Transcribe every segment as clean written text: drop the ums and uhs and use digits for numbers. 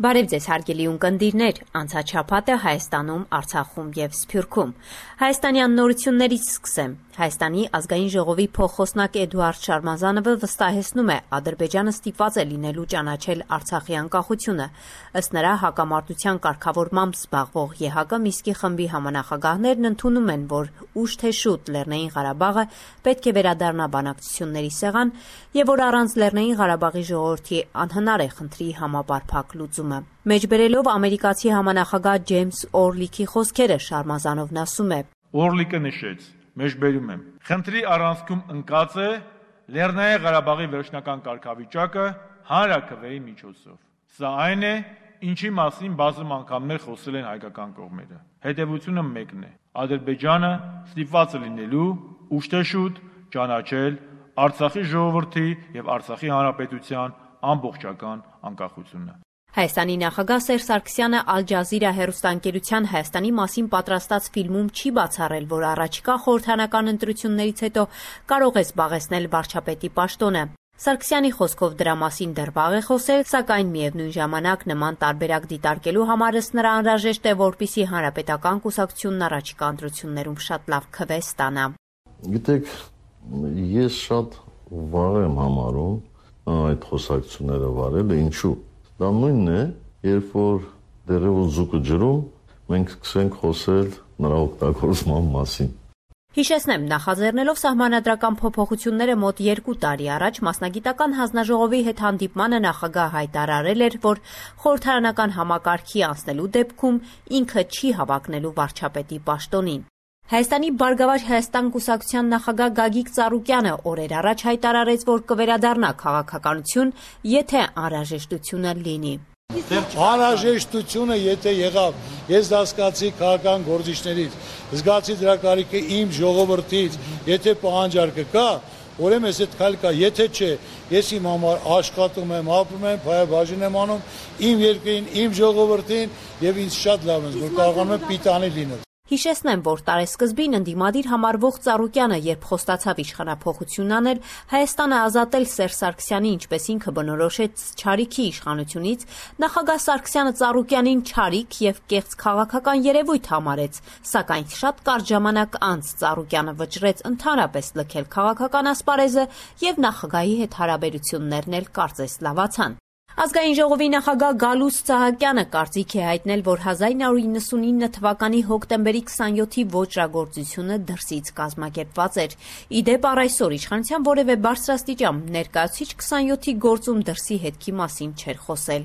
Բարև ձեզ հարգելի ունկնդիրներ, անցած շաբաթը Հայաստանում, Արցախում և Սփյուռքում։ Հայաստանյան նորություններից սկսեմ։ Հայաստանի ազգային ժողովի փոխխոսնակ Էդուարդ Շարմազանովը վստահեցնում է, Ադրբեջանը ստիպված է լինելու ճանաչել Արցախի անկախությունը։ Ըստ նրա, հակամարտության կարգավորմամբ զբաղվող ԵՀԿ Միսկի խմբի համանախագահներն ընդունում են, որ ուշ թե շուտ Լեռնային Ղարաբաղը պետք է վերադառնա բանակցությունների սեղան և որ առանց Լեռնային Ղարաբաղի ժողովրդի անհնար է խնդրի համապարփակ լուծումը։ Մեջբերելով ամերիկացի համանախագահ Ջեյմս Օրլիքի խոսքերը Շարմազանովն ասում է. Օրլիկը նշեց, մեջբերում եմ, խնդրի առանցքում ընկած է Լեռնային Ղարաբաղի վերջնական կարգավիճակը հանրաքվեի միջոցով։ Սա այն է, ինչի մասին բազում անգամներ խոսել են հայկական կողմերը։ Հետևությունը մեկն է. Ադրբեջանը ստիպված է լինելու ուշ թե շուտ ճանաչել Արցախի ժողովրդի և Արցախի հանրապետության ամբողջական անկախությունը։ Հայաստանի նախագահ Սերժ Սարգսյանը Ալ Ջազիրա հեռուստաընկերության Հայաստանի մասին պատրաստած ֆիլմում չի բացառել, որ առաջիկա խորհրդարանական ընտրություններից հետո կարող է զբաղեցնել վարչապետի պաշտոնը։ Սարգսյանի խոսքով դրա մասին դեռ վաղ է խոսել, սակայն միևնույն ժամանակ նման տարբերակ դիտարկելու համար ըստ նրա անհրաժեշտ է, որպեսզի հանրապետական կուսակցությունն առաջիկա ընտրություններում շատ լավ քվե ստանա։ Գիտեք, ես շատ վաղ եմ համարում այդ խոսակցությունները վարելը, ինչու։ Դա նույնն է, երբ որ դեռևս ձուկը ջրում, մենք սկսենք խոսել նրա օգտագործման մասին։ Հիշեցնեմ, նախաձեռնելով սահմանադրական փոփոխությունները մոտ 2 տարի առաջ մասնագիտական հանձնաժողովի հետ հանդիպմանը նախագահ հայտարարել էր, որ խորհրդարանական համակարգի անցնելու դեպքում ինքը չի հավակնելու վարչապետի պաշտոնին։ Հայաստանի Բարգավաճ Հայաստան կուսակցության նախագահ Գագիկ Ծառուկյանը օրեր առաջ հայտարարեց, որ կվերադառնա քաղաքականություն, եթե անհրաժեշտությունը լինի։ Անհրաժեշտությունը եթե եղավ, ես դա զգացի քաղաքական գործիչներից, զգացի դրա կարիքը իմ ժողովրդից, եթե պահանջարկը կա, ուրեմն ես այդ քայլ կա, եթե չէ, ես իմ համար աշխատում եմ, ապրում եմ, փայաբաժին եմ անում իմ երկրին, իմ ժողովրդին եւ ինձ շատ լավ է, որ կարողանում եմ պիտանի լինել։ Հիշեցնեմ, որ տարեսկզբին ընդդիմադիր համարվող Ծառուկյանը, երբ խոստացավ իշխանափոխություն անել, Հայաստանը ազատել Սերժ Սարգսյանի, ինչպես ինքը բնորոշեց, չարիքի իշխանությունից, նախագահ Սարգսյանը Ծառուկյանին չարիք և կեղծ քաղաքական երևույթ համարեց, սակայն շատ կարճ ժամանակ անց Ծառուկյանը վճռեց ընդհանրապես լքել քաղաքական ասպարեզը և նախագահի հետ հարաբերություններն էլ կարծես լավացան։ Ազգային ժողովի նախագահ Գալուստ Սահակյանը կարծիք է հայտնել, որ 1999 թվականի հոկտեմբերի 27-ի ոճրագործությունը դրսից կազմակերպված էր։ Ի դեպ, առ այսօր իշխանության որևէ բարձրաստիճան ներկայացուցիչ 27-ի գործում դրսի հետքի մասին չէր խոսել։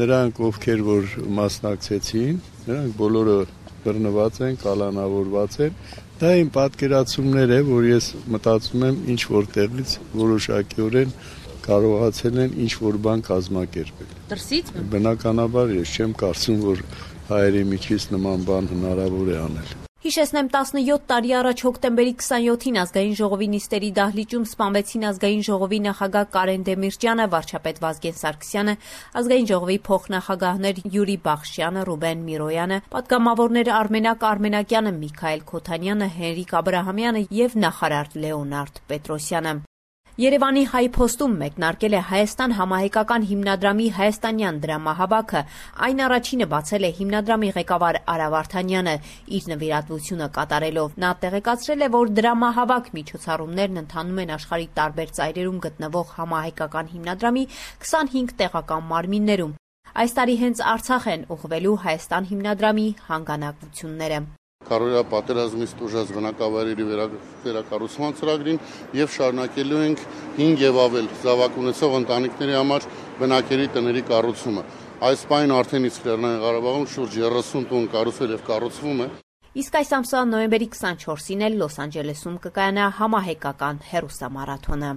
Նրանք, ովքեր որ մասնակցեցին, նրանք բոլորը բռնված են, կալանավորված են։ Դա իմ պատկերացումներ է, որ ես մտածում եմ ինչ որտեղից որոշակիորեն կարողացել են ինչ-որ բան կազմակերպել։ Դրսից։ Բնականաբար ես չեմ կարծում, որ հայերի միջից նման բան հնարավոր է անել։ Հիշեցնեմ, 17 տարի առաջ հոկտեմբերի 27-ին Ազգային ժողովի նիստերի դահլիճում սպանվեցին Ազգային ժողովի նախագահ Կարեն Դեմիրճյանը, վարչապետ Վազգեն Սարգսյանը, Ազգային ժողովի փոխնախագահներ Յուրի Բախշյանը, Ռուբեն Միրոյանը, պատգամավորներ Արմենակ Արմենակյանը, Միքայել Քոթանյանը, Հենրիկ Աբրահամյանը և նախարար Լեոնարդ Պետրոսյանը։ Երևանի Հայ Փոստում մեկնարկել է Հայաստան համահայկական հիմնադրամի հայաստանյան դրամահավաքը, այն առաջինը բացել է հիմնադրամի ղեկավար Արա Վարդանյանը իր նվիրատվությունը կատարելով։ Նա տեղեկացրել է, որ դրամահավաք միջոցառումներն ընթանում են աշխարհի տարբեր ծայրերում գտնվող համահայկական հիմնադրամի 25 տեղական մարմիններում։ Այս տարի հենց Արցախ են ուղղվելու Հայաստան հիմնադրամի հանգանակությունները։ Կարողա պատերազմից տուժած բնակավայրերի վերակառուցման ծրագրին եւ շարունակելու ենք 5 եւ ավել զավակ ունեցող ընտանիքների համար բնակելի տների կառուցումը։ Այս պայն արդեն իսկ Լեռնային Ղարաբաղում շուրջ 30 տուն կառուցվել եւ կառուցվում է։ Իսկ այս ամսվա նոյեմբերի 24-ին էլ Լոս Անջելեսում կկայանա համահայկական հեռուստամարաթոնը։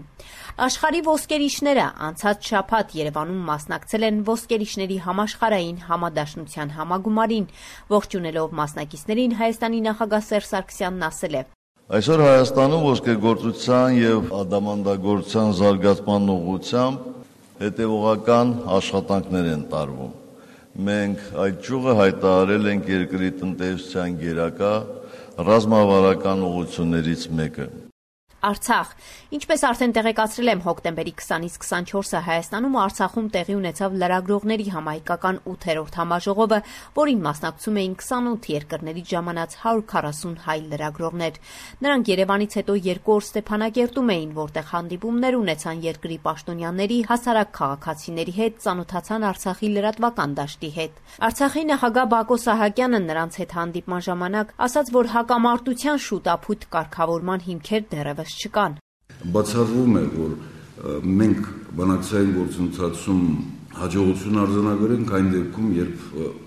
Աշխարհի ոսկերիչները անցած շաբաթ Երևանում մասնակցել են ոսկերիչների համաշխարհային համադաշնության համագումարին։ Ողջունելով մասնակիցներին Հայաստանի նախագահ Սերժ Սարգսյանն ասել է. Այսօր Հայաստանում ոսկեգործության եւ ադամանդագործության զարգացման ուղղությամբ հետևողական աշխատանքներ են տարվում։ Մենք այդ ճյուղը հայտարարել ենք երկրի տնտեսության գերակա ռազմավարական ուղղություններից մեկը։ Արցախ։ Ինչպես արդեն տեղեկացրել եմ, հոկտեմբերի 20-ից 24-ը Հայաստանում ու Արցախում տեղի ունեցավ լրագրողների համահայկական 8-րդ համաժողովը, որին մասնակցում էին 28 երկրներից ժամանած 140 հայ լրագրողներ։ Նրանք Երևանից հետո 2 օր Ստեփանակերտում էին, որտեղ հանդիպումներ ունեցան երկրի պաշտոնյաների, հասարակ քաղաքացիների հետ, ծանոթացան Արցախի լրատվական դաշտի հետ։ Արցախի նախագահ Բակո Սահակյանը նրանց հետ հանդիպման ժամանակ ասաց, որ հակամարտության շուտափույթ կարգավորման հիմքեր դեռևս չկան։ Բացառվում է, որ մենք բանակցային գործընթացում հաջողություն արձանագրենք այն դեպքում, երբ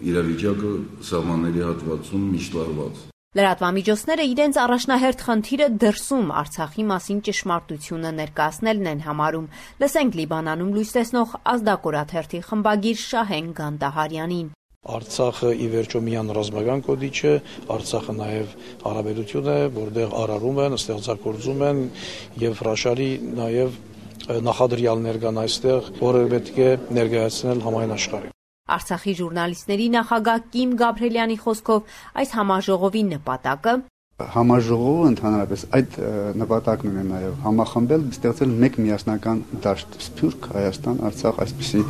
իրավիճակը սահմանների հատվածում միշտ լարված։ Լրատվամիջոցները իրենց առաջնահերթ խնդիրը դրսում Արցախի մասին ճշմարտությունը ներկայացնելն են համարում։ Լսենք Լիբանանում լույս տեսնող ազդակորաթերթի խմբագիր Շահեն Գանդահարյանին։ Արցախը ի վերջո միան ռազմական կոդիչ է, Արցախը նաև հարաբերություն է, որտեղ արարում են, ստեղծագործում են եւ հրաշալի նաև նախադրյալներ կան այստեղ, որը պետք է ներկայացնել համայն աշխարհին։ Արցախի ժուրնալիստների նախագահ Կիմ Գաբրելյանի խոսքով այս համաժողովի նպատակը Համաժողովը ընդհանրապես այդ նպատակն ունի նաև համախմբել, ստեղծել մեկ միասնական դաշտ՝ Սփյուռք, Հայաստան, Արցախ, այսպիսի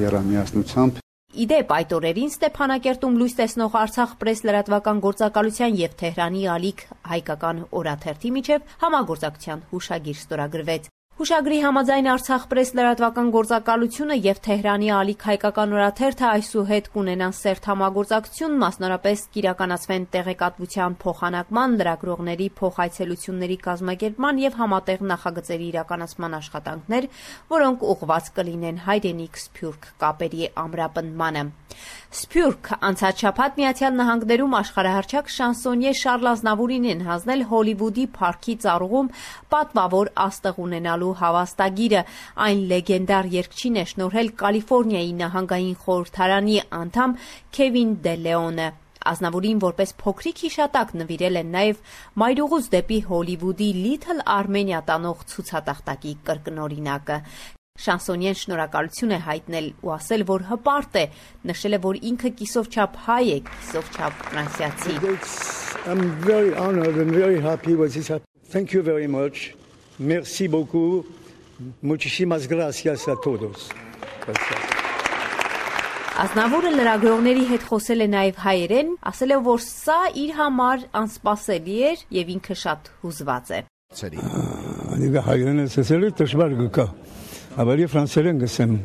երամիասնությամբ։ Իդեպ այդ օրերին Ստեփանակերտում լույս տեսնող Արցախ պրես լրատվական գործակալության եւ Թեհրանի ալիք հայկական օրաթերթի միջև համագործակցության հուշագիր ստորագրվեց։ Հուշագրի համաձայն Արցախ պրես լրատվական գործակալությունը եւ Թեհրանի ալիք հայկական օրաթերթը այսուհետ կունենան սերտ համագործակցություն, մասնավորապես կիրականացվեն տեղեկատվության փոխանակման, լրագրողների փոխայցելությունների կազմակերպման եւ համատեղ նախագծերի իրականացման աշխատանքներ, որոնք ուղղված կլինեն հայրենիք Սփյուռք կապերի ամրապնդմանը։ Սփյուռք անցած շաբաթ Միացյալ Նահանգներում աշխարհահռչակ շանսոնյե Շարլ Ազնավուրին են հանձնել Հոլիվուդի փառքի ծառուղում պատվավոր աստղ ունենալու հավաստագիրը։ Այն լեգենդար երգչին է շնորհել Կալիֆոռնիայի նահանգային խորհրդարանի անդամ Քևին Դե Լեոնը։ Ազնավուրին որպես փոքրիկ հիշատակ նվիրել են նաև մայրուղուց դեպի Հոլիվուդի Little Armenia տանող ցուցատախտակի կրկնօրինակը։ Շանսոնյեն շնորհակալություն է հայտնել ու ասել, որ հպարտ է, նշել է, որ ինքը կիսովչափ հայ է, կիսովչափ ֆրանսիացի։ I'm very honored and very happy with this. Thank you very much. Merci beaucoup. Muchísimas gracias a todos. Ազնավուրը լրագրողների հետ խոսել է նաև հայերեն, ասել է, որ սա իր համար անսպասելի էր եւ ինքը շատ հուզված է։ Անգա հայերեն ասել դժվար գա։ Ավելի ֆրանսերեն գսեմ։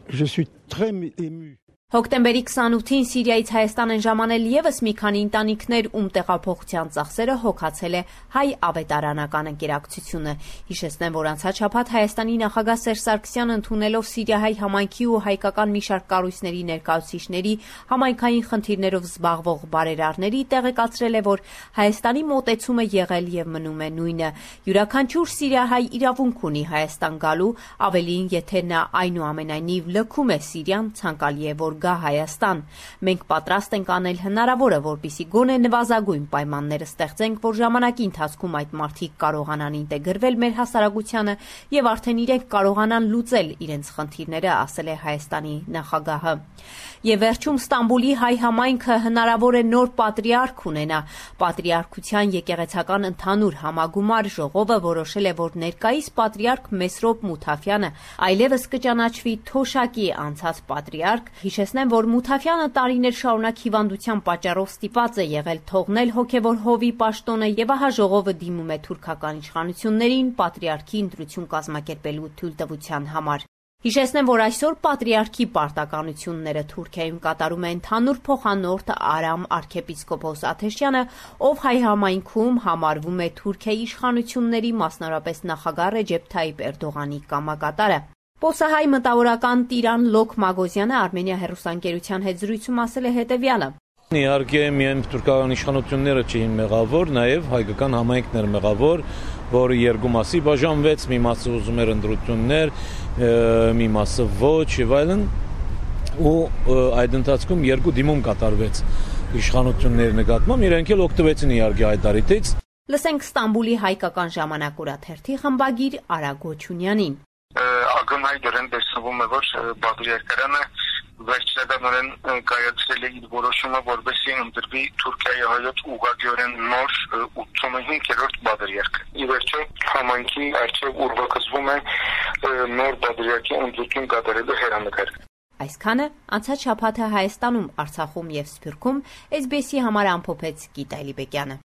Je suis très ému. Հոկտեմբերի 28-ին Սիրիայից Հայաստան են ժամանել եւս մի քանի ընտանիքներ, ում տեղափոխության ծախսերը հոգացել է հայ ավետարանական ընկերակցությունը։ Հիշեցնեմ, որ անցած շաբաթ Հայաստանի նախագահ Սերժ Սարգսյանը ընդունելով Սիրիահայ համայնքի ու հայկական մի շարք կառույցների ներկայացուցիչների համայնքային խնդիրներով զբաղվող բարերարների տեղեկացրել է, որ Հայաստանի մոտեցումը եղել եւ մնում է նույնը։ Յուրաքանչյուր Սիրիահայ իրավունք ունի Հայաստան գալու, ավելին, եթե նա այնուամենայնիվ լքում է Սիրիան, ցանկալի է, որ գա Հայաստան։ Մենք պատրաստ ենք անել հնարավորը, որպեսզի գոնե նվազագույն պայմանները ստեղծենք, որ ժամանակի ընթացքում այդ մարդիկ կարողանան ինտեգրվել մեր հասարակությանը եւ արդեն իրենք կարողանան լուծել իրենց խնդիրները, ասել է Հայաստանի նախագահը։ Եվ վերջում Ստամբուլի հայ համայնքը հնարավոր է նոր պատրիարք ունենա։ Պատրիարքության եկեղեցական ընդհանուր համագումար ժողովը որոշել է, որ ներկայիս պատրիարք Մեսրոպ Մութաֆյանը այլևս կճանաչվի Թոշակի անցած պատրիարք։ Հիշեցնեմ, որ Մութաֆյանը տարիներ շարունակ հիվանդության պատճառով ստիպված է եղել թողնել հոգևոր հովի պաշտոնը եւ ահա ժողովը դիմում է թուրքական իշխանություններին պատրիարքի ընտրություն կազմակերպելու թույլտվության համար։ Հիշեցնեմ, որ այսօր պատրիարքի պարտականությունները Թուրքիայում կատարում է ընդհանուր փոխանորդ Արամ arczepiskopos Աթեշյանը, ով հայ համայնքում համարվում է Թուրքիայի իշխանությունների, մասնավորապես նախագահ Ռեջեփ Թայիփ Էրդողանի կամակատարը։ Պոսահայ մտավորական Տիրան Լոկ Մագոզյանը Արմենիա հեռուստաընկերության հետ զրույցում ասել է հետևյալը. Իհարկե միայն թուրքական իշխանությունները չէին մեղավոր, նաև հայկական համայնքն էր մեղավոր, որը երկու մասի բաժանվեց, մի մասը ուզում էր ընտրություններ, մի մասը ոչ եւ այլն, ու այդ ընթացքում երկու դիմում կատարվեց իշխանությունների նկատմամբ, իրենք էլ օգտվեցին իհարկե այդ դարիթից։ Լսենք Ստամբուլի հայկական ժամանակ օրաթերթի խմբագիր Արա Գոչունյանին։ Ակնհայտ դրան տեսնում է, որ պատրիարքարանը վերջնականորեն կայացրել է իր որոշումը, որպեսզի ընտրվի Թուրքիայի հայոց ուղղակիորեն նոր 85-րդ բادرյակը։ Ի վերջո համայնքի առջև ուրվագծվում է նոր բادرյակի ընտրություն կատարելու հեռանկար։ Այսքանը անցած շաբաթը Հայաստանում, Արցախում եւ Սփյուռքում SBS-ի համար ամփոփեց Գիտա Էլիբեկյանը։